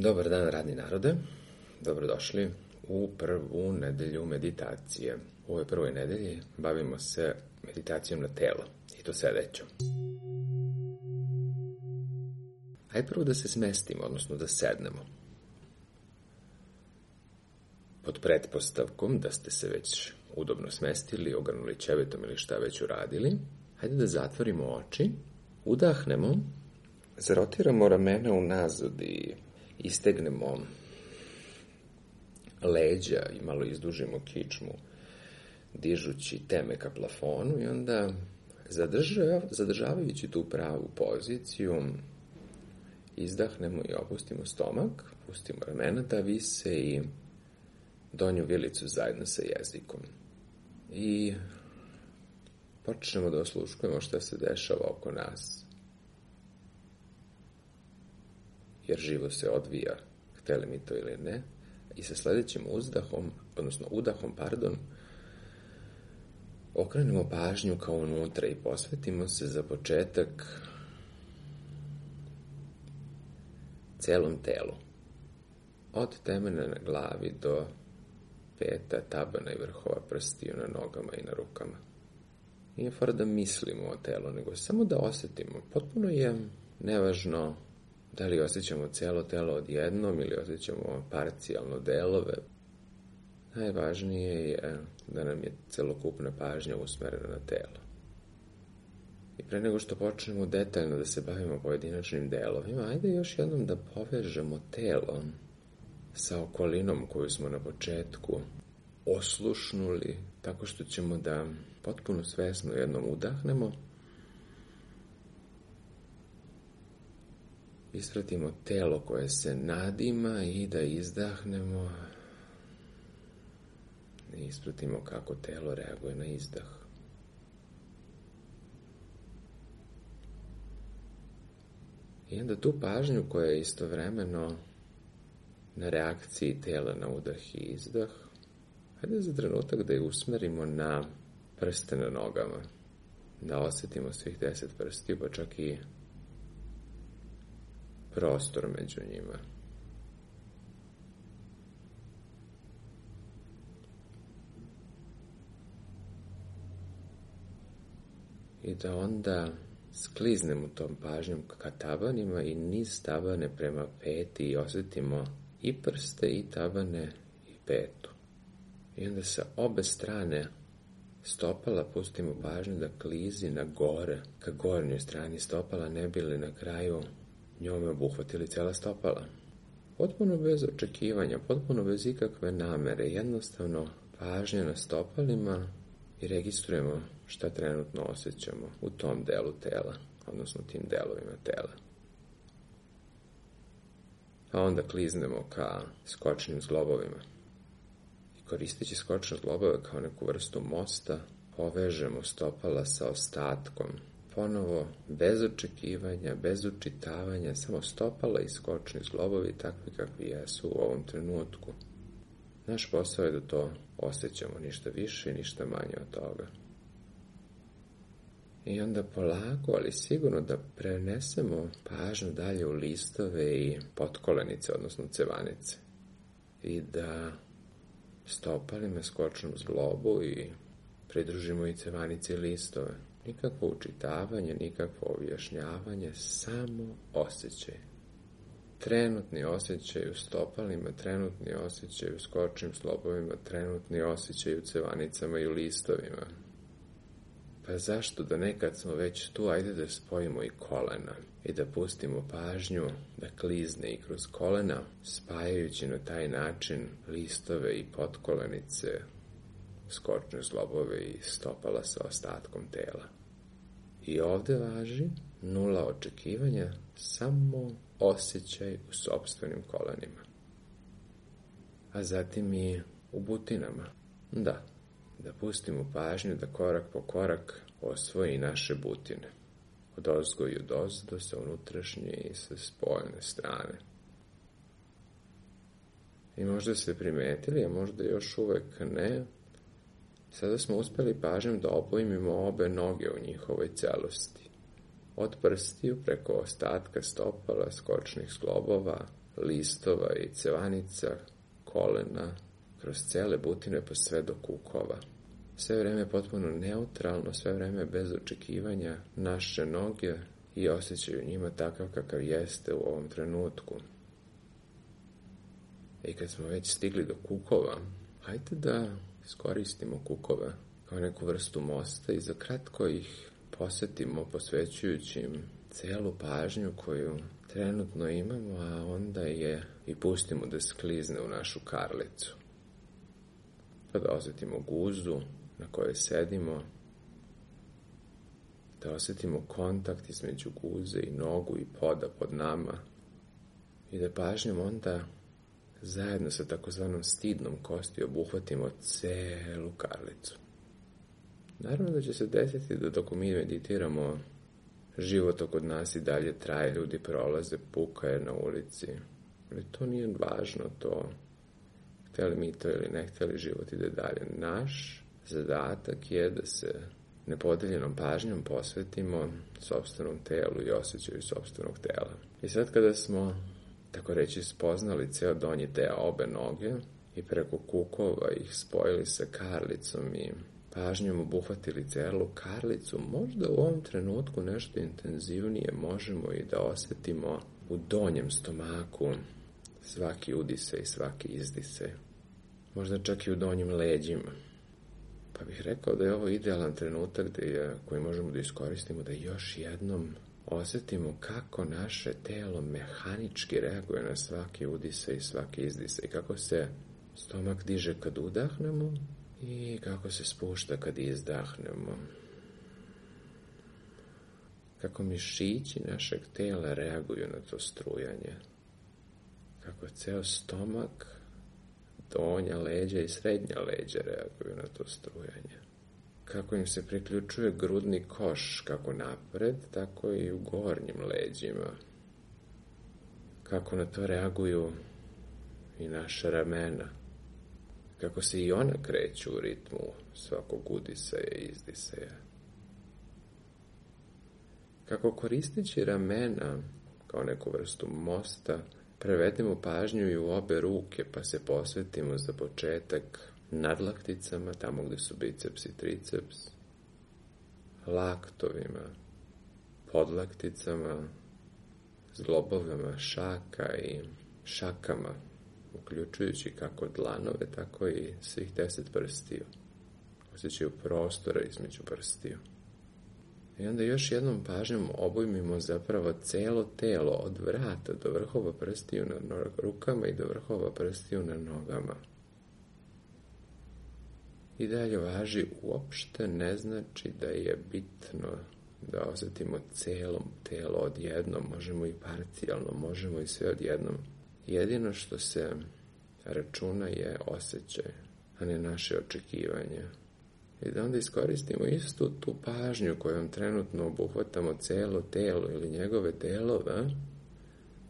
Dobar dan, radni narode. Dobrodošli u prvu nedelju meditacije. U ovoj prvoj nedelji bavimo se meditacijom na telo, i to sedećom. Hajde prvo da se smestimo, odnosno da sednemo. Pod pretpostavkom da ste se već udobno smestili, ogrnuli ćevetom ili šta već uradili, hajde da zatvorimo oči, udahnemo, zarotiramo ramena unazad i istegnemo leđa i malo izdužimo kičmu, dižući teme ka plafonu, i onda zadržavajući tu pravu poziciju, izdahnemo i opustimo stomak, pustimo ramena da vise i donju vilicu zajedno sa jezikom. I počnemo da osluškujemo šta se dešava oko nas. Jer život se odvija, hteli mi to ili ne, i sa sledećim udahom, okrenemo pažnju kao unutra i posvetimo se za početak celom telu. Od temena na glavi do peta, tabana i vrhova prstiju na nogama i na rukama. Nije fora da mislimo o telu, nego samo da osetimo. Potpuno je nevažno da li osjećamo celo telo odjednom ili osjećamo parcijalno delove. Najvažnije je da nam je celokupna pažnja usmerena na telo. I pre nego što počnemo detaljno da se bavimo pojedinačnim delovima, ajde još jednom da povežemo telo sa okolinom koju smo na početku oslušnuli, tako što ćemo da potpuno svesno jednom udahnemo, ispratimo telo koje se nadima i da izdahnemo i ispratimo kako telo reaguje na izdah. I onda tu pažnju koja je istovremeno na reakciji tela na udah i izdah, hajde za trenutak da je usmerimo na prste na nogama, da osetimo svih 10 prstiju, pa čak i prostor među njima. I da onda skliznemo tom pažnjom ka tabanima i niz tabane prema peti i osetimo i prste i tabane i petu. I onda sa obe strane stopala pustimo pažnju da klizi na gore, ka gornjoj strani stopala, ne bi li na kraju njome obuhvatili cela stopala. Potpuno bez očekivanja, potpuno bez ikakve namere, jednostavno pažnja na stopalima i registrujemo šta trenutno osjećamo u tom delu tela, odnosno tim delovima tela. A onda kliznemo ka skočnim zglobovima. I koristeći skočne zglobove kao neku vrstu mosta, povežemo stopala sa ostatkom. Ponovo, bez očekivanja, bez učitavanja, samo stopala i skočni zglobovi takvi kakvi jesu u ovom trenutku. Naš posao je da to osjećamo, ništa više i ništa manje od toga. I onda polako, ali sigurno da prenesemo pažnju dalje u listove i potkolenice, odnosno cevanice. I da stopalima skočnom zglobu i pridružimo i cevanice i listove. Nikakvo učitavanje, nikakvo objašnjavanje, samo osjećaj. Trenutni osjećaj u stopalima, trenutni osjećaj u skočnim zglobovima, trenutni osjećaj u cevanicama i u listovima. Pa zašto da nekad smo već tu, ajde da spojimo i kolena i da pustimo pažnju da klizne i kroz kolena, spajajući na taj način listove i potkolenice, skočne zglobove i stopala sa ostatkom tela. I ovde važi nula očekivanja, samo osjećaj u sopstvenim kolenima. A zatim i u butinama. Da pustimo pažnju da korak po korak osvoji naše butine. Od ozgo i od ozdo, sa unutrašnje i sa spoljne strane. I možda ste primetili, a možda još uvek ne, sada smo uspeli pažnjom da obojmimo obe noge u njihovoj celosti. Od prstiju preko ostatka stopala, skočnih zglobova, listova i cevanica, kolena, kroz cele butine pa sve do kukova. Sve vreme potpuno neutralno, sve vreme bez očekivanja naše noge i osjećaju njima takav kakav jeste u ovom trenutku. I kad smo već stigli do kukova, hajde da iskoristimo kukove kao neku vrstu mosta i za kratko ih posjetimo posvećujući im celu pažnju koju trenutno imamo, a onda je i pustimo da sklizne u našu karlicu. Pa da osjetimo guzu na kojoj sedimo, da osjetimo kontakt između guze i nogu i poda pod nama i da pažnjom onda zajedno sa takozvanom stidnom kosti obuhvatimo celu karlicu. Naravno da će se desiti da dok mi meditiramo, život oko nas i dalje traje, ljudi prolaze, puka je na ulici. Ali to nije važno, to hteli mi to ili ne hteli, život ide dalje. Naš zadatak je da se nepodeljenom pažnjom posvetimo sopstvenom telu i osjećaju sopstvenog tela. I sad kada smo, tako reći, spoznali ceo donji deo obe noge i preko kukova ih spojili sa karlicom i pažnjom obuhvatili celu karlicu, možda u ovom trenutku nešto intenzivnije možemo i da osjetimo u donjem stomaku svaki udisaj i svaki izdisaj. Možda čak i u donjim leđima. Pa bih rekao da je ovo idealan trenutak koji možemo da iskoristimo da još jednom osjetimo kako naše telo mehanički reaguje na svaki udisaj i svaki izdisaj. Kako se stomak diže kad udahnemo i kako se spušta kad izdahnemo. Kako mišići našeg tela reaguju na to strujanje. Kako ceo stomak, donja leđa i srednja leđa reaguju na to strujanje. Kako im se priključuje grudni koš, kako napred, tako i u gornjim leđima. Kako na to reaguju i naša ramena. Kako se i ona kreću u ritmu svakog udisaja i izdisaja. Kako koristeći ramena kao neku vrstu mosta, prevedemo pažnju i u obe ruke, pa se posvetimo za početak nadlakticama, tamo gde su biceps i triceps, laktovima, podlakticama, zglobovima šaka i šakama, uključujući kako dlanove, tako i svih 10 prstiju. Osjećaju prostora između prstiju. I onda još jednom pažnjom obujmimo zapravo celo telo od vrata do vrhova prstiju na rukama i do vrhova prstiju na nogama. I dalje važi, uopšte ne znači da je bitno da osjetimo celo telo odjednom, možemo i parcijalno, možemo i sve odjednom. Jedino što se računa je osjećaj, a ne naše očekivanje. I da onda iskoristimo istu tu pažnju kojom trenutno obuhvatamo celo telo ili njegove delove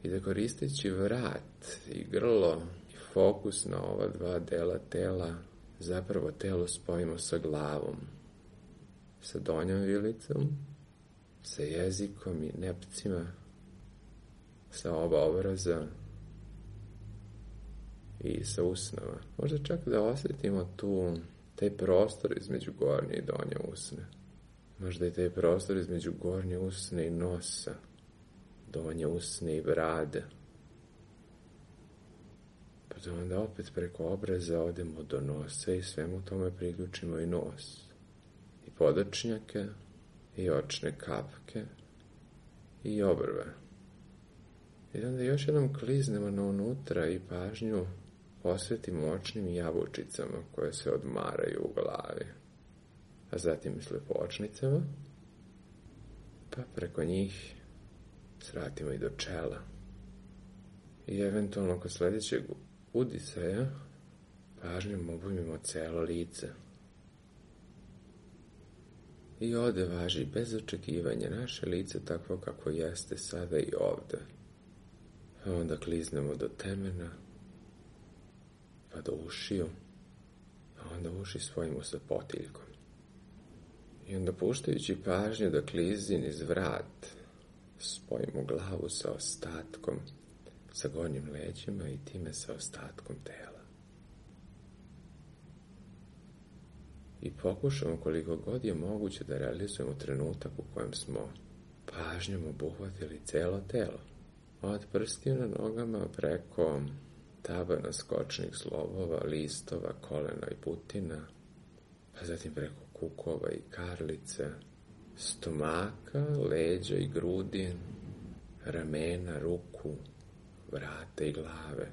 i da koristeći vrat i grlo i fokus na ova dva dela tela, zapravo telo spojimo sa glavom, sa donjom vilicom, sa jezikom i nepcima, sa oba obraza i sa usnama. Možda čak da osjetimo taj prostor između gornje i donje usne. Možda i taj prostor između gornje usne i nosa, donje usne i brade. Pa da onda opet preko obraza odemo do nosa i svemu tome priključimo i nos. I podočnjake, i očne kapke, i obrve. I onda još jednom kliznemo na unutra i pažnju posvetimo očnim jabučicama koje se odmaraju u glavi, a zatim i slepočnicama, pa preko njih svratimo i do čela. I eventualno kod sljedećeg udisaja pažnjom obujmimo celo lice. I ovde važi bez očekivanja naše lice takvo kako jeste sada i ovde. A onda kliznemo do temena, pa do ušiju, a onda uši spojimo sa potiljkom. I onda puštajući pažnju da klizin iz vrat, spojimo glavu sa ostatkom, sa gornjim leđima i time sa ostatkom tela. I pokušamo koliko god je moguće da realizujemo trenutak u kojem smo pažnjom obuhvatili celo telo. Od prstiju na nogama preko tabana skočnih zglobova, listova, kolena i butina, pa zatim preko kukova i karlice, stomaka, leđa i grudi, ramena, ruku, vrata i glave.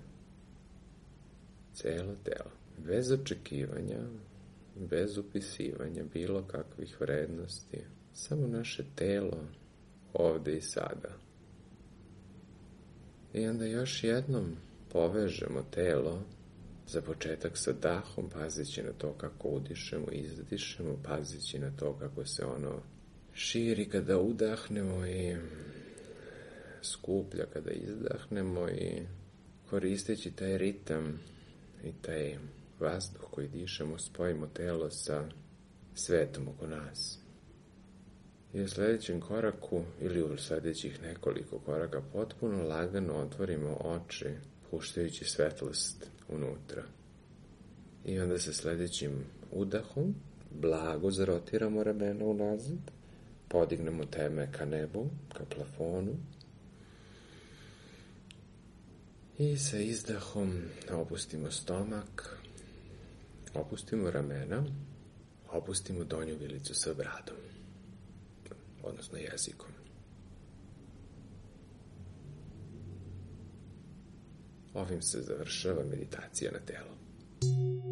Celo telo, bez očekivanja, bez upisivanja bilo kakvih vrednosti, samo naše telo ovde i sada. I onda još jednom povežemo telo, za početak sa dahom, pazeći na to kako udišemo i izdišemo, pazeći na to kako se ono širi kada udahnemo i skuplja kada izdahnemo i koristeći taj ritam i taj vazduh koji dišemo, spojimo telo sa svetom oko nas. I u sljedećem koraku ili u sljedećih nekoliko koraka potpuno lagano otvorimo oči, puštajući svetlost unutra. I onda sa sljedećim udahom blago zarotiramo ramena unazad, podignemo teme ka nebu, ka plafonu i sa izdahom opustimo stomak, opustimo ramena, opustimo donju vilicu sa bradom, odnosno jezikom. Ovim se završava meditacija na telo.